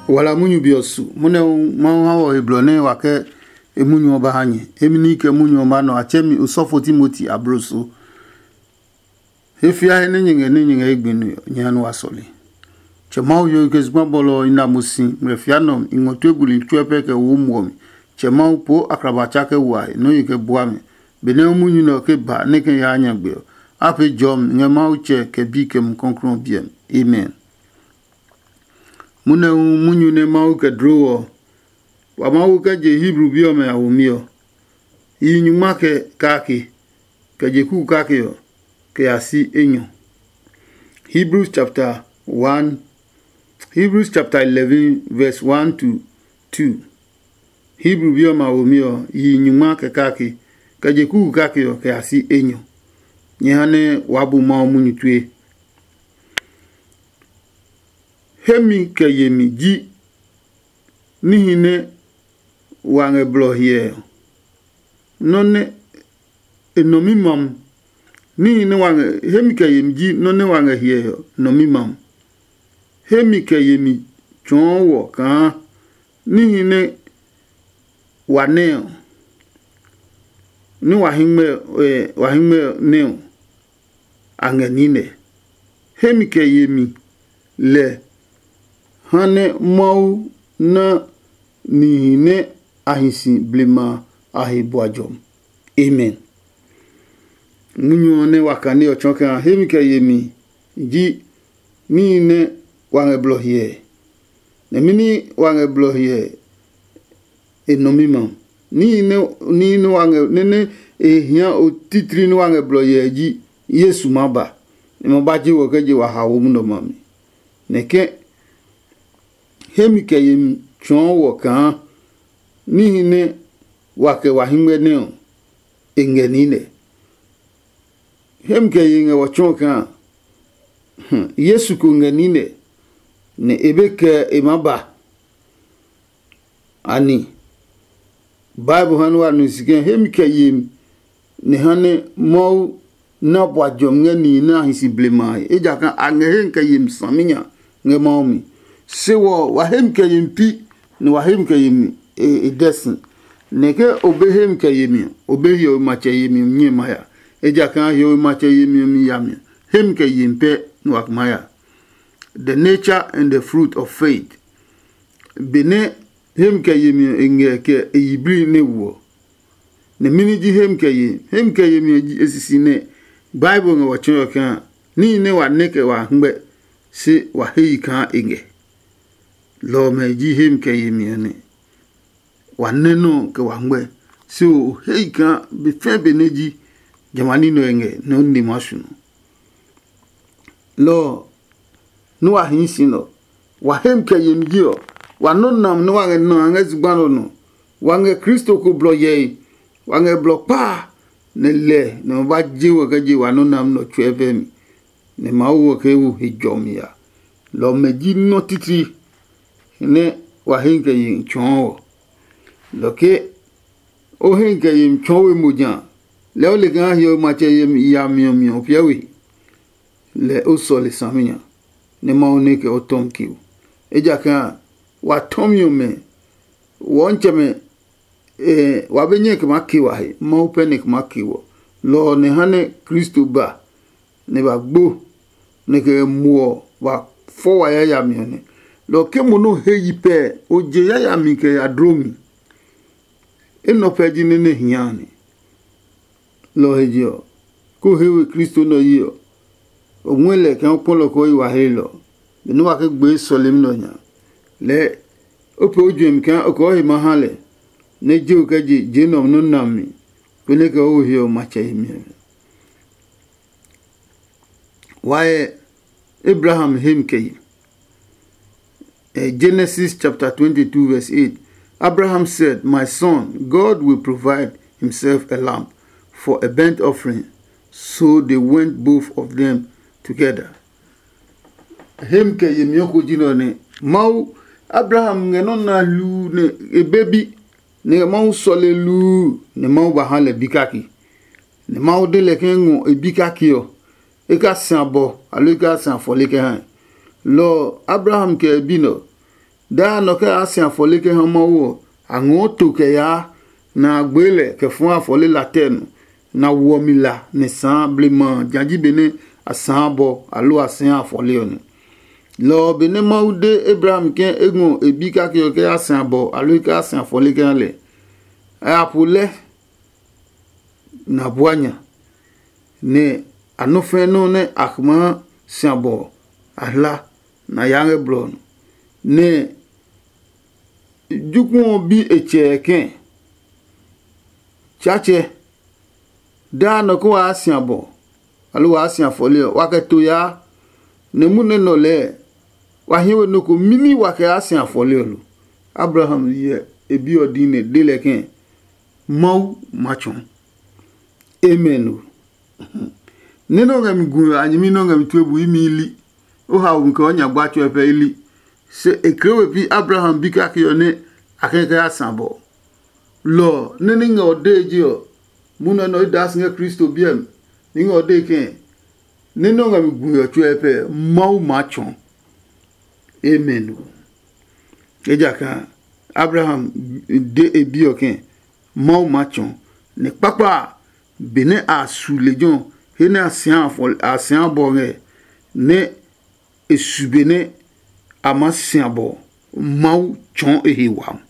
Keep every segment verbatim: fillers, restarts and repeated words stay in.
Wala munyu be ɔ su, munɛ hu Mawu ha wɔ he blɔ nɛ wa kɛ e munyu ɔ ba ha nyɛ. Emi ní kɛ munyu ɔ ba nɔ a tsɛ mi osɔfo Timoti abloso. He fia he nɛ nyɛ ngɛ nɛ nyɛ ngɛ ye gbe nue ɔ, nyɛ ha nua sɔle. Tsɛ Mawu yo ke zugba bɔlɔ ɔ i na mo si ngmlɛ fia nɔ i ngɔ tue buli tsuɛ pɛ kɛ wo muɔ mi. Tsɛ Mawu poo akraba tsa kɛ wua he nɔ́ ye kɛ bua mi. Benɛ munyu nɛ ɔ ke ba nɛ kɛ yaa nyagbe ɔ, a pee jɔmi ngɛ Mawu Tsɛ kɛ Bi kɛ Mumi Klɔuklɔu ɔ biɛ mi. Amen. Munɛ hu munyu nɛ Mawu kɛ dloo ɔ, wa Mawu kɛ je Hebru bi ɔmɛ a womi ɔ, yihi nyungma kɛ kake, kɛ je kuku kake ɔ, kɛ ya si enyɔ. Hebrews chapter one, Hebrews chapter eleven, verse one to two. Hebru bi ɔmɛ a womi ɔ, yihi nyungma kɛ kake, kɛ je kuku kake ɔ, kɛ ya si enyɔ. Nyɛ ha nɛ waa bu Mawu munyu tue. Hemi kɛ yemi ji níhi nɛ wa ngɛ blɔ hyɛ ɔ, nɔ́ nɛ e nɔ mi mam. Níhi nɛ wa ngɛ hemi kɛ yemi ji nɔ́ nɛ wa ngɛ hyɛ ɔ nɔ mi mam. Hemi kɛ yemi tsɔɔ wɔ kaa níhi nɛ wa nɛ ɔ, nɛ wa hɛngmɛ ɔ, wa hɛngmɛ ɔ nɛ ɔ, a ngɛ niinɛ. Hemi kɛ yemi lɛ ha nɛ Mawu na nihi nɛ a hi si blema a he bua jɔmi. Amen. Munyu ɔ nɛ wa kane ɔ tsɔɔ kaa hemi kɛ yemi ji níhi nɛ wa ngɛ blɔ hyɛ. Nɛ mɛni wa ngɛ blɔ hyɛ e nɔ mi ma? Níhi nɛ níhi nɛ wa ngɛ nɛ nɛ e hia o titri nɛ wa ngɛ blɔ hyɛ ji Yesu ma ba. E ma ba je wɔ kɛ je wa ha wo munɔ ma mi. Nɛ ke hemi kɛ yemi tsɔɔ wɔ kaa níhi nɛ wa kɛ wa hɛngmɛ nɛ ɔ, e ngɛ niinɛ. Hemi kɛ ye ngɛ wɔ tsɔɔ kaa Yesu ko ngɛ niinɛ, nɛ e be kɛ e maa ba. Ani Bible ha nɛ wa nu si ke hemi kɛ yemi nɛ ha nɛ Mawu na bua jɔmi ngɛ nihi nɛ a hi si blema a he, ejakaa a ngɛ hemi kɛ yemi saminya ngɛ Mawu mi. Se wɔ wa hemi kɛ yemi pi, nɛ wa hemi kɛ yemi e dɛ si. Nɛ ke o be hemi kɛ yemi ɔ, o be hiɔwe matsɛ yemi ɔ nyɛ ma ya, ejakaa hiɔwe matsɛ yemi ɔ mi yami ɔ, hemi kɛ yemi pɛ nɛ wa ma ya. The nature and the fruit of faith. Benɛ hemi kɛ yemi ɔ e ngɛ kɛ e yiblii nɛ woɔ. Nɛ mɛni ji hemi kɛ ye? Hemi kɛ yemi ɔ ji e sisi nɛ Bible ngɛ wa tsɔɔ ɔ kaa níhi nɛ wa nɛ kɛ wa hɛngmɛ, se wa he yi kaa e ngɛ. Lɔ ɔmɛ ji hemi kɛ yemi ɔ nɛ wa nɛ nɔ́ kɛ wa hɛngmɛ, se o he yi kaa be fɛɛ be nɛ ji jamɛ a ní nɛ ɔ e ngɛ nɛ o nine maa su nɔ. Lɔ ɔ, nɛ wa hii si nɛ ɔ, wa hemi kɛ yemi ji ɔ, wa nɔ́ nam nɛ wa ngɛ na a ngɛ zugba nɛ ɔ nɔ. Wa ngɛ Kristo ko blɔ hyɛe, wa ngɛ blɔ kpa a, nɛ lɛ nɛ ma ba je wɔ kɛ je wa nɔ́ nam nɛ ɔ tsuɛ vɛ mi, nɛ Mawu ɔ kɛ wo he jɔmi a. Lɔ ɔmɛ ji nɔ́ titri nɛ wa hemi kɛ yemi tsɔɔ ɔ. Lɔ ke o hemi kɛ yemi tsɔɔ we mo ja, lɛɛ o le kaa hiɔwe matsɛ yemi yami ɔ mi ɔ piɛ we. Lɛ o sɔle saminya, nɛ Mawu nɛ kɛ o tɔmi keo. Ejakaa wa tɔmi ɔmɛ, wɔntsɛmɛ, wa be nyɛ kɛ maa ke wa he, Mawu pɛ nɛ kɛ maa ke wɔ. Lɔ ɔ nɛ ha nɛ Kristo ba, nɛ ba gbo, nɛ kɛ muɔ ba fɔ wa yayami ɔ nɛ. Lɔ ɔ ke mo nɛ o he yi pɛ, o je yayami kɛ ya dlo mi. Enɛ ɔ pɛ ji nɛ nɛ hia a nɛ. Lɔ ɔ he je ɔ, kó o he we Kristo nɛ ɔ yi ɔ, o ngɔɛ lɛ kaa o kpɔ lɔ kɔɔ yi wa he lɔ, benɛ wa ke gbee sɔlemi nɛ ɔ nya. Lɛɛ o pee o juɛmi kaa o kɔɔ he ma ha lɛ, nɛ je o kɛ je je nɛ ɔ nɔ́ na mi, konɛ kɛ o wo he ɔ matsɛ yemi ɔ. Why Abraham hemi kɛ yi? Genesis chapter twenty-two, verse eight. Abraham said, "My son, God will provide himself a lamb for a burnt offering." So they went both of them together. Hemi kɛ yemi ɔ ko ji nɛ ɔ nɛ Mawu, Abraham ngɛ nɔ́ na hluu nɛ e be bi, nɛ Mawu sɔle luu nɛ Mawu ba ha lɛ bi kake. Nɛ Mawu de lɛ ke ngɔ e bi kake ɔ, e ka si abɔ aloo e ka si afɔle kɛ ha ɛ. Lɔ ɔ, Abraham kɛ e bi nɛ ɔ, Daa nɔ kɛ yaa si afɔle kɛ ha Mawu ɔ, a ngɔɔ to kɛ yaa, nɛ a gbee lɛ kɛ fɔɔ afɔle la tɛ nɔ, nɛ a woɔ mi la nɛ sãã blema a ja ji benɛ a sãã bɔ aloo a sɛɛ afɔle ɔ nɛ. Lɔ ɔ benɛ Mawu de Abraham ke e ngɔ e bi kake ɔ kɛ ya si abɔ aloo e kɛ ya si afɔle kɛ ha lɛ, a ya po lɛ nɛ a bua nya, nɛ a nɔ́ fɛ̃ nɔ́ nɛ a maa si abɔ ɔ, a hla, nɛ a ya ngɛ blɔ ɔ nɔ. Nɛ jokuɛ ɔ bi e tsɛ kɛ̃, Tsaatsɛ, daa nɔ ko waa si abɔ, aloo waa si afɔle ɔ, wa kɛ to yaa, nɛ munɛ nɔ lɛɛ wa hie we nɔ́ ko mimi wa kɛ yaa si afɔle ɔ lo? Abraham hyɛ e bi ɔ dii nɛ de lɛ ke, Mawu ma tsɔɔ. Amen o. Nɛ nɛ o ngɛ mi gu a nyɛmi nɛ o ngɛ mi tue bu imi ili. O hao mi kɛ o nya gba tsɔe pɛ ili. Se e kle we pi Abraham bi kake ɔ nɛ a kɛ kɛ ya sa bɔ. Lɔ ɔ, nɛ ní ngɛ ɔ dee je ɔ, munɔ nɛ ɔ daa si ngɛ Kristo biɛ mi. Ní ngɛ ɔ dee kɛ̃, nɛ nɛ o ngɛ mi gu ɔ tsɔe pɛ, Mawu maa tsɔɔ. Amen o. Ejakaa Abraham de e bi ɔ ke, Mawu maa tsɔɔ. Nɛ kpakpa a, benɛ a su lejɛ ɔ, he nɛ a sia bɔ ngɛ, nɛ e su benɛ a maa sia bɔ, Mawu tsɔɔ e he wami.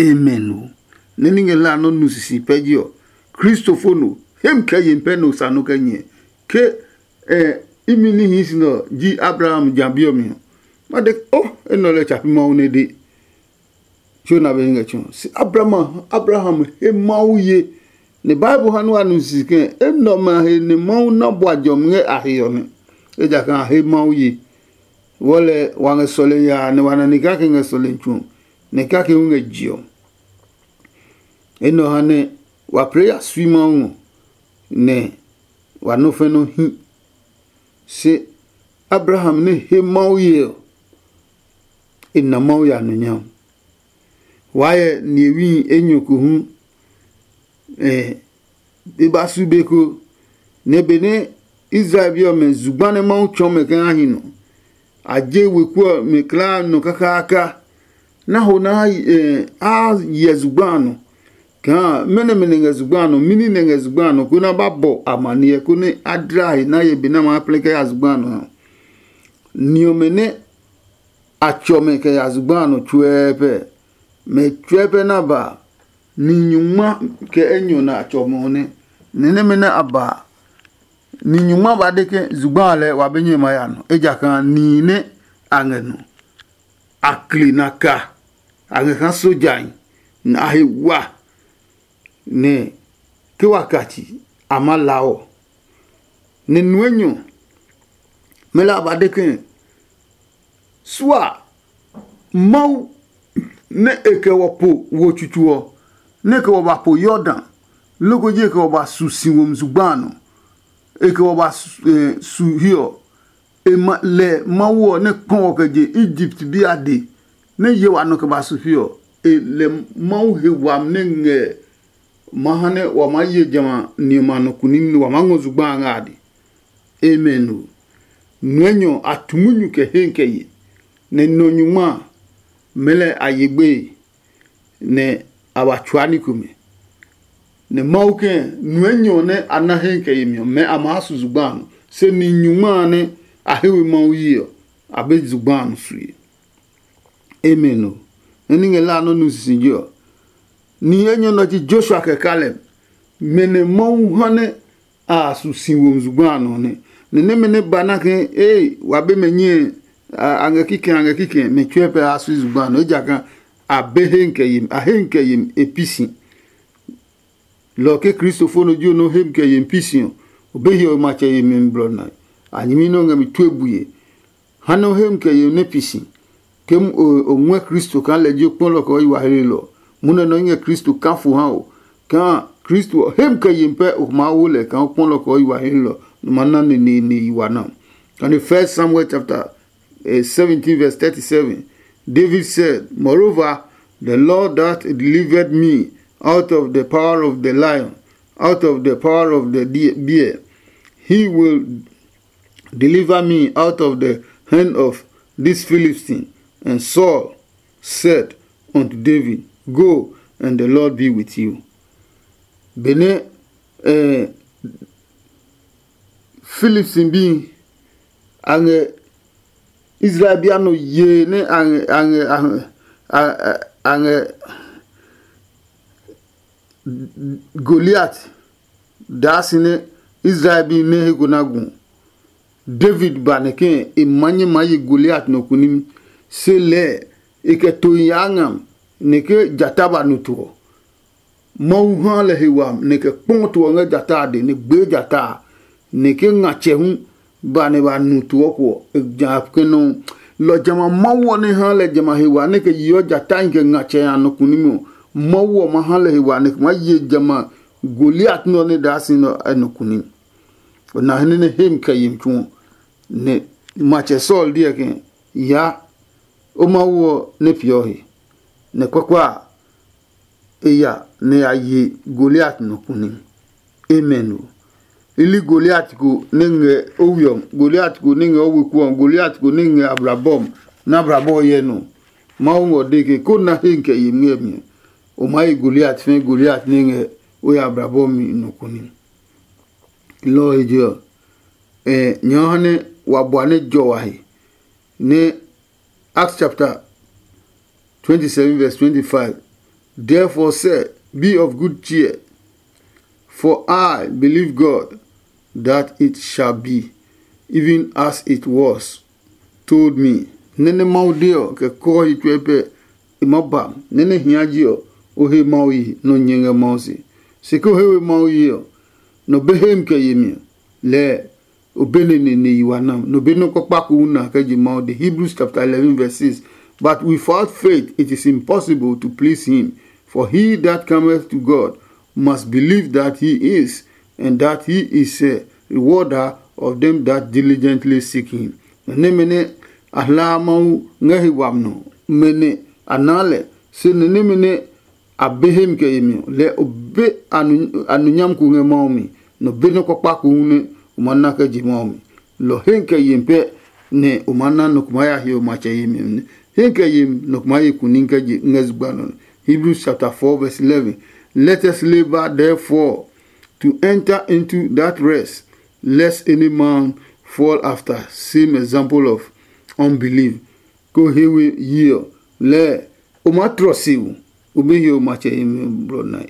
Amen o. Nɛ ní ngɛ la nɔ́ nu sisi pɛ ji ɔ, Kristofo no hem kɛ yen pɛ no sa nɔ kɛ nyɛ. Ke ɛ imi ní hii si nɛ ɔ ji Abraham ja bi ɔ mi ɔ, ma de o enɛ ɔ lɛ tsa pi Mawu nɛ de. Tso na be ngɛ tso. Si Abraham Abraham he Mawu ye. Nɛ Bible ha nu a nu sisi ke enɛ ɔmɛ a he nɛ Mawu na bua jɔmi ngɛ a he ɔ nɛ. Ejakaa a he Mawu ye. Wɔlɛ wa ngɛ sɔle yaa nɛ wa na ni kake ngɛ sɔle tso, nɛ kake hu ngɛ je ɔ. Enɛ ɔ ha nɛ wa pee ya sui Mawu ngɔ, nɛ wa nɔ́ fɛ nɔ́ hi. Se Abraham nɛ he Mawu ye ɔ, e na Mawu ya nɔ nyam. Waa yɛ nihewi enyɔ ko hu e ba su be ko, nɛ benɛ Israel bi ɔmɛ zugba nɛ Mawu tsɔɔ mɛ kɛ ha hi nɔ, a je weku ɔ mɛ klaa nɔ kakaaka. Na ho na a hyɛ zugba a nɔ, kaa mɛnɔ mɛ nɛ ngɛ zugba a nɔ, mini nɛ ngɛ zugba a nɔ, konɛ a ba bɔ amaniɛ, konɛ a dla he na ye be nɛ a maa plɛ kɛ ya zugba a nɔ ha. Ni ɔmɛ nɛ a tsɔ mɛ kɛ ya zugba a nɔ tsuɛɛpɛ, mɛ tsuɛɛpɛ na ba ni nyungma kɛ enyɔ nɛ a tsɔ mɔ nɛ. Nɛ nɛmɛ nɛ a ba ni nyungma ba de ke zugba a lɛɛ wa be nyɛ ma ya nɔ, ejakaa nihi nɛ a ngɛ nɔ, a kli na ka, a ngɛ kaa sojahi, nɛ a he wa, nɛ ke wa ka tsi a ma la ɔ. Nɛ nuenyɔ mɛ la a ba de ke, sua Mawu nɛ e kɛ wɔ po wo tsutsu ɔ, nɛ e kɛ wɔ ba po Yordan, loko ji e kɛ wɔ ba su si womi zugba a nɔ, e kɛ wɔ ba su hiɛ ɔ, e ma lɛ Mawu ɔ nɛ kpɔ wɔ kɛ je Egipt bi a de, nɛ ye wa nɔ kɛ ba su fi ɔ, e lɛ Mawu he wami nɛ ngɛ ma ha nɛ wa maa ye jamɛ a ni ɔmɛ a nɔ kuni nɛ wa maa ngɔ zugba a ngɛ a de. Amen o. Nuɛ nyɔ a tu munyu kɛ he kɛ ye, nɛ nɔ nyungma a, mɛlɛ a ye gbeye, nɛ a wa tsua ní komɛ. Nɛ Mawu kɛ̃ nuɛ nyɔ nɛ a na he kɛ yemi ɔ, mɛ a maa su zugba a nɔ, se ni nyungma a nɛ a he we Mawu yi ɔ, a be zugba a nɔ sue. Amen o. Nɛ ní ngɛ la nɔ́ nu sisije ɔ, nihi enyɔ nɔ ji Joshua kɛ Kaleb, mɛ nɛ Mawu ha nɛ a su si wo zugba a nɔ nɛ. Nɛ nɛmɛ nɛ ba na ke ee wa be mɛ nyɛe a ngɛ kikɛ a ngɛ kikɛ mɛ tsuɛ pɛ a su zugba a nɔ, ejakaa a be he kɛ yemi a he kɛ yemi e pi si. Lɔ ke kristofo nɔ ji nɔ hem kɛ yemi pi si ɔ, o be hiɔwe matsɛ yemi mi blɔ nae. A nyɛmi nɛ o ngɛ mi tue bue. Ha nɛ o hem kɛ yemi nɛ pi si. Ke o ngɔɛ Kristo kaa lɛ ji o kpɔlɔ kɛ o yi wa hlelɔ, munɛ nɔ i ngɛ Kristo kaa fo ha o. Kaa Kristo ɔ hem kɛ yemi pɛ o maa wo lɛ kaa o kpɔlɔ kɛ o yi wa hlelɔ, nɔ ma na neneene yi wa na. And in First Samuel chapter eh, seventeen, verse thirty-seven, David said, "Moreover, the Lord that delivered me out of the power of the lion, out of the power of the bear, he will deliver me out of the hand of this Philistine." And Saul said unto David, "Go, and the Lord be with you." Benɛ eh, Philip si bi a ngɛ Israel bi a nɔ yee nɛ a ngɛ a ngɛ a ngɛ a ngɛ Goliat daa si nɛ Israel bi nɛ he ko na gu. David ba nɛ ke e ma nyɛ maa ye Goliat nɔ kunimi, se lɛɛ e kɛ to yaa ngam nɛ ke jata ba nu to ɔ. Mawu ha lɛ he wami nɛ kɛ kpɔ to ɔ ngɛ jata a dɛ nɛ gbee jata a, nɛ ke ngatsɛ hu ba nɛ ba nu to ɔ ko ɔ, e ja ke nɔ. Lɔ jamɛ a Mawu ɔ nɛ ha lɛ jamɛ a he wa nɛ kɛ yeɔ jatahi kɛ ngatsɛ a nɔ kunimi ɔ, Mawu ɔ ma ha lɛ he wa nɛ kɛ maa ye jamɛ a Goliat nɛ ɔ nɛ daa si nɛ ɔ nɔ kunimi. Ɔ na he nɛ he mi kɛ yemi tsu ɔ, nɛ matsɛ Saul deɛ ke, "Ya, o Mawu ɔ nɛ peeɔ he." Nɛ kpakpa a, e ya nɛ ya ye Goliat nɔ kune. Amen o. I li Goliat ko nɛ ngɛ o we ɔ, Goliat ko nɛ ngɛ o weku ɔ, Goliat ko nɛ ngɛ ablabɔ ɔ, nɛ ablabɔ ɔ hyɛ nɔ. Mawu ngɔ de ke ko na he kɛ ye ngɛ mi ɔ, o maa ye Goliat fɛ Goliat nɛ ngɛ o ya ablabɔ mi nɔ kune. Lɔ ɔ he je ɔ, nyɛ ɔ ha nɛ wa bua nɛ jɔ wa he nɛ Acts chapter twenty-seven verse twenty-five. "Therefore say, be of good cheer, for I believe God that it shall be even as it was told me." Nɛ́ nɛ Mawu de ɔ kɛ kɔɔ he tsuɛ pɛ e maa ba nɛ nɛ hia ji ɔ, o he Mawu yi nɔ nyɛ ngɛ Mawu se. Se ke o he we Mawu yi ɔ, nɔ be hemi kɛ yemi ɔ, lɛɛ o be nene ne yi wa nam. No be nɔ́ kpakpa ko hu na kɛ je Mawu de. Hebrews chapter eleven verse six. But without faith it is impossible to please him, for he that cometh to God must believe that he is, and that he is a rewarder of them that diligently seek him. Nɛ nɛmɛ nɛ a hlaa Mawu ngɛ he wami nɔ, mɛ nɛ a naa lɛ, se nɛ nɛmɛ nɛ a be hemi kɛ yemi ɔ, lɛ o be a nu nyami ko ngɛ Mawu mi, nɔ be nɔ́ kpakpa ko hu nɛ o ma na kɛ je Mawu mi. Lɔ he kɛ yemi pɛ nɛ o ma na nɔ ko ma ya hiɔ matsɛ yemi ɔ nɛ. He kɛ yemi nɔ ko ma ye kuni kɛ je ngɛ zugba nɔ. Hebrews chapter four verse eleven. Let us labor therefore to enter into that rest, lest any man fall after same example of unbelief. Ko he we yi ɔ, lɛɛ o maa tlɔ si wu, o be hiɔ matsɛ yemi blɔ nae.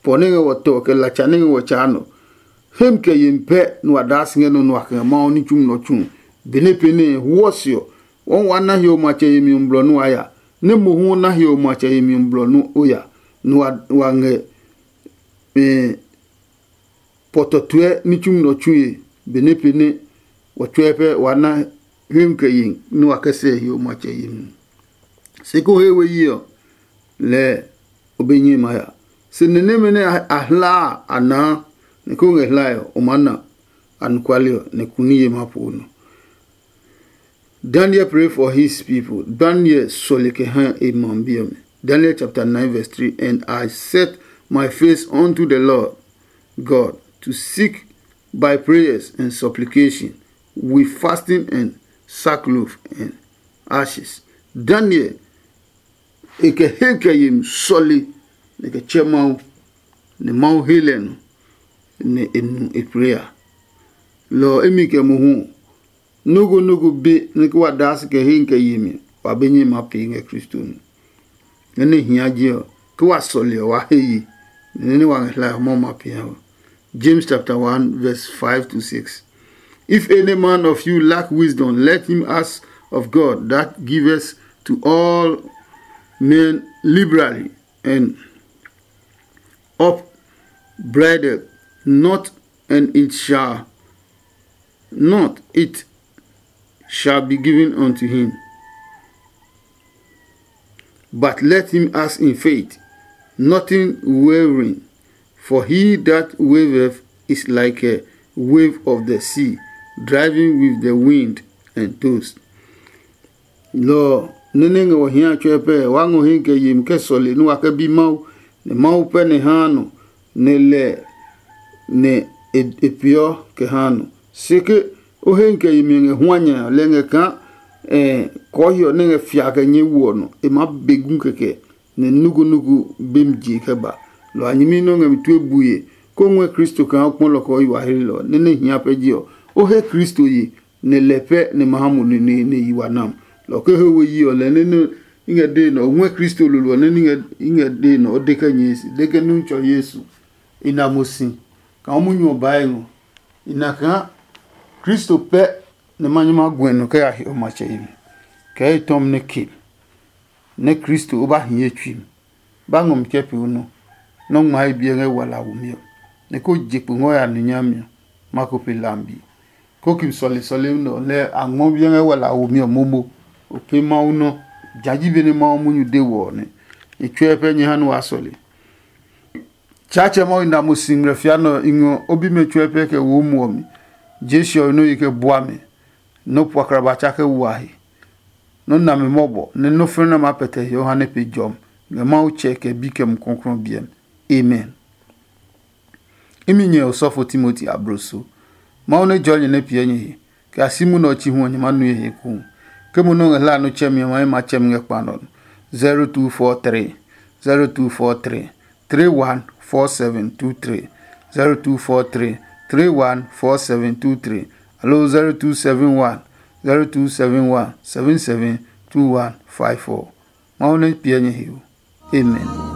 Pɔ nɛ ngɛ wɔ tɔ kɛ latsa nɛ ngɛ wɔ tsaa nɔ. Hem kɛ yemi pɛ nɛ wa daa si ngɛ nɔ nua kɛ ngɛ Mawu ní tsumi nɔ tsu. Benɛ pee nɛ huɔ se ɔ, wɔɔ wa na hiɔ matsɛ yemi ɔ blɔ nɛ wa ya, nɛ mohu o na hiɔ matsɛ yemi ɔ blɔ nɛ o ya, nɛ wa ngɛ pɔtɔtuɛ ní tsumi nɔ tsue. Benɛ pee nɛ wɔ tsɔɛ pɛ wa na hwemi kɛ ye nɛ wa kɛ sɛ he o matsɛ yemi. Se ko he we yi ɔ, lɛɛ o be nyɛ ma ya. Se nɛ nɛmɛ nɛ a hlaa a naa nɛ ko ngɛ hlae ɔ, o maa na anɔkuale ɔ, nɛ kuni ye ma po nɔ. Daniel pray for his people. Daniel sɔle kɛ ha e ma bi ɔmɛ. Daniel chapter nine verse three. And I set my face unto the Lord God to seek by prayers and supplication with fasting and sackcloth and ashes. Daniel e kɛ he kɛ yemi sɔle nɛ kɛ tsɛ Mawu, nɛ Mawu he lɛ nɔ, nɛ e nu e prayer. Lɔ ɔ emi kɛ mohu ɔ, nɔ́ ko nɔ́ ko be nɛ ke wa daa si kɛ he kɛ yemi, wa be nyɛ ma pee ngɛ Kristo nu. Nɛ nɛ hia je ɔ, ke wa sɔle ɔ, wa he ye, nɛ nɛ wa ngɛ hlae ɔ, Mawu ma pee ha we. James chapter one verse five to six. If any man of you lack wisdom, let him ask of God that giveth to all men liberally and upbraideth not, and it shall not it shall be given unto him. But let him ask in faith, nothing wavering. For he that wavereth is like a wave of the sea, driving with the wind and tossed. Lɔ ɔ, nɛ nɛ ngɛ wɔ hia tsɔɛ pɛ, wa ngɔ he kɛ yemi kɛ sɔle nɛ wa kɛ bi Mawu, nɛ Mawu pɛ nɛ haa nɔ, nɛ lɛ nɛ e peeɔ kɛ haa nɔ. Se ke o he kɛ yemi ngɛ hua nya ɔ, lɛ ngɛ kaa kɔɔhiɔ nɛ ngɛ fia kɛ nyɛɛ wu ɔ nɔ, e maa be gu kɛkɛ, nɛ nugunugu bemi je kɛ ba. Lɔ a nyɛmi nɛ o ngɛ mi tue bue, kó ngɔɛ Kristo kaa o kpɔ lɔ kɔɔhiɔ a hlelɔ nɛ nɛ hia pɛ je ɔ, o he Kristo ye, nɛ lɛ pɛ nɛ ma ha mo neneene yi wa nam. Lɔ ke he we yi ɔ, lɛ nɛ nɛ i ngɛ dee nɛ o ngɔɛ Kristo lolo ɔ nɛ i ngɛ dee nɛ o de kɛ nyɛɛ si, de ke Nuntsɔ Yesu i na mo si kaa o munyu ɔ baa e ngɔ. I na kaa Kristo pɛ nɛ ma nyɛ ma guɛ nɔ kɛ ya he o matsɛ yi mi, kɛ e tɔmi nɛ ke nɛ Kristo o ba hi ye tsui mi, ba ngɔ mi kɛ pee o nɔ, nɔ́ ngma he biɛ ngɛ wala womi ɔ, nɛ ko je kpo ngɔ ya nu nyami ɔ, ma ko pe lambi. Kokim sɔlesɔle nɛ ɔ lɛ a ngmɔ biɛ ngɛ wala womi ɔ momo. O pee Mawu nɔ, ja ji be nɛ Mawu munyu de wɔ ɔ nɛ. E tsɔɛ pɛ nyɛ ha nɛ waa sɔle. Tsaatsɛ Mawu na mo si ngmlɛ fia nɛ ɔ i ngɔ o bimɛ tsuɛ pɛ kɛ wo muɔ mi. Jesu ɔ nɔ yi kɛ bua mɛ, nɔ puakra ba tsa kɛ wua he. Nɔ na mi mɔbɔ nɛ nɔ fɛnɛ nɛ maa pɛtɛ he ɔ ha nɛ pe jɔmi ngɛ Mawu Tsɛ kɛ Bi kɛ Mumi Klɔuklɔu biɛ mi. Amen. Imi nyɛ osɔfo Timoti abloso. Mawu nɛ jɔɔ nyɛ nɛ piɛ nyɛ he, kɛ a si munɛ ɔ chi hu ɔ nyɛ maa nue he kou. Ke mo nɛ o ngɛ hlaa nɔ tsɛmi ɔ ma, e ma tsɛmi ngɛ kpa nɔ. zero two four three, zero two four three, three one four seven two three, zero two four three, three one four seven two three, aloo zero two seven one, zero two seven one, seven seven two one five four. Mawu nɛ piɛ nyɛ he o. Amen.